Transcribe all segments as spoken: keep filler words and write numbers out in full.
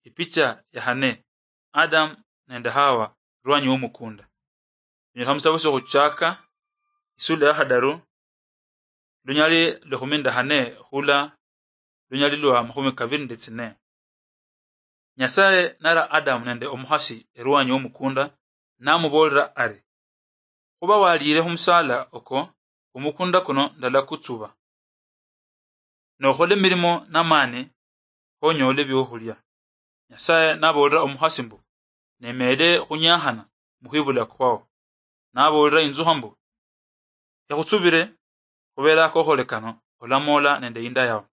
Ipicha ya hane, Adamu nende Hawa, erwanyi womukunda. Binyolekha musitabo siokhuchaka, isula ya khadaru, lunyali lwa ekhumi nende khane khula lunyali lwa makhumi kabiri nende tsine. Nyasaye nara Adamu nende omukhasi erwanyi womukunda, namuboolera ari, "Khuba waliire khumusala oko, omukunda kuno ndalakutsuba, nokhole emirimo namani, khonyole ebiokhulia." Nyasaye naboolera omukhasi mbu, "Nemeele khunyakhana mukhwibula kwao." Naboolera inzukha mbu, "Ekhutsubire, khubera akokholwe kano, olamoola nende inda yao."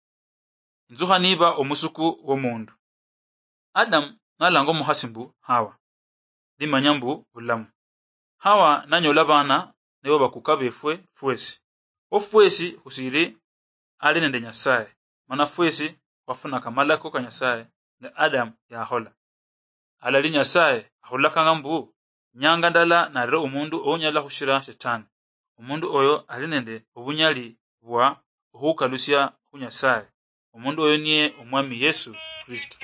Inzukha niba omusuku womundu. Adamu nalanga omukhasi mbu Hawa, limanya mbu bulamu. Hawa nanyola abana nibo bakuka befwe fwesi. Kho fwesi khusiri ali nende Nyasaye, mana fwesi khwafunaka amalako ka Nyasaye nga Adamu yakhola. Halali Nyasaye akhulakanga mbu, nyanga ndala narera omundu ounyala khushira Shetani. Omundu oyo ali nende obunyali bwa okhukalusia khu Nyasaye. Omundu oyo niye Omwami Yesu Kristo.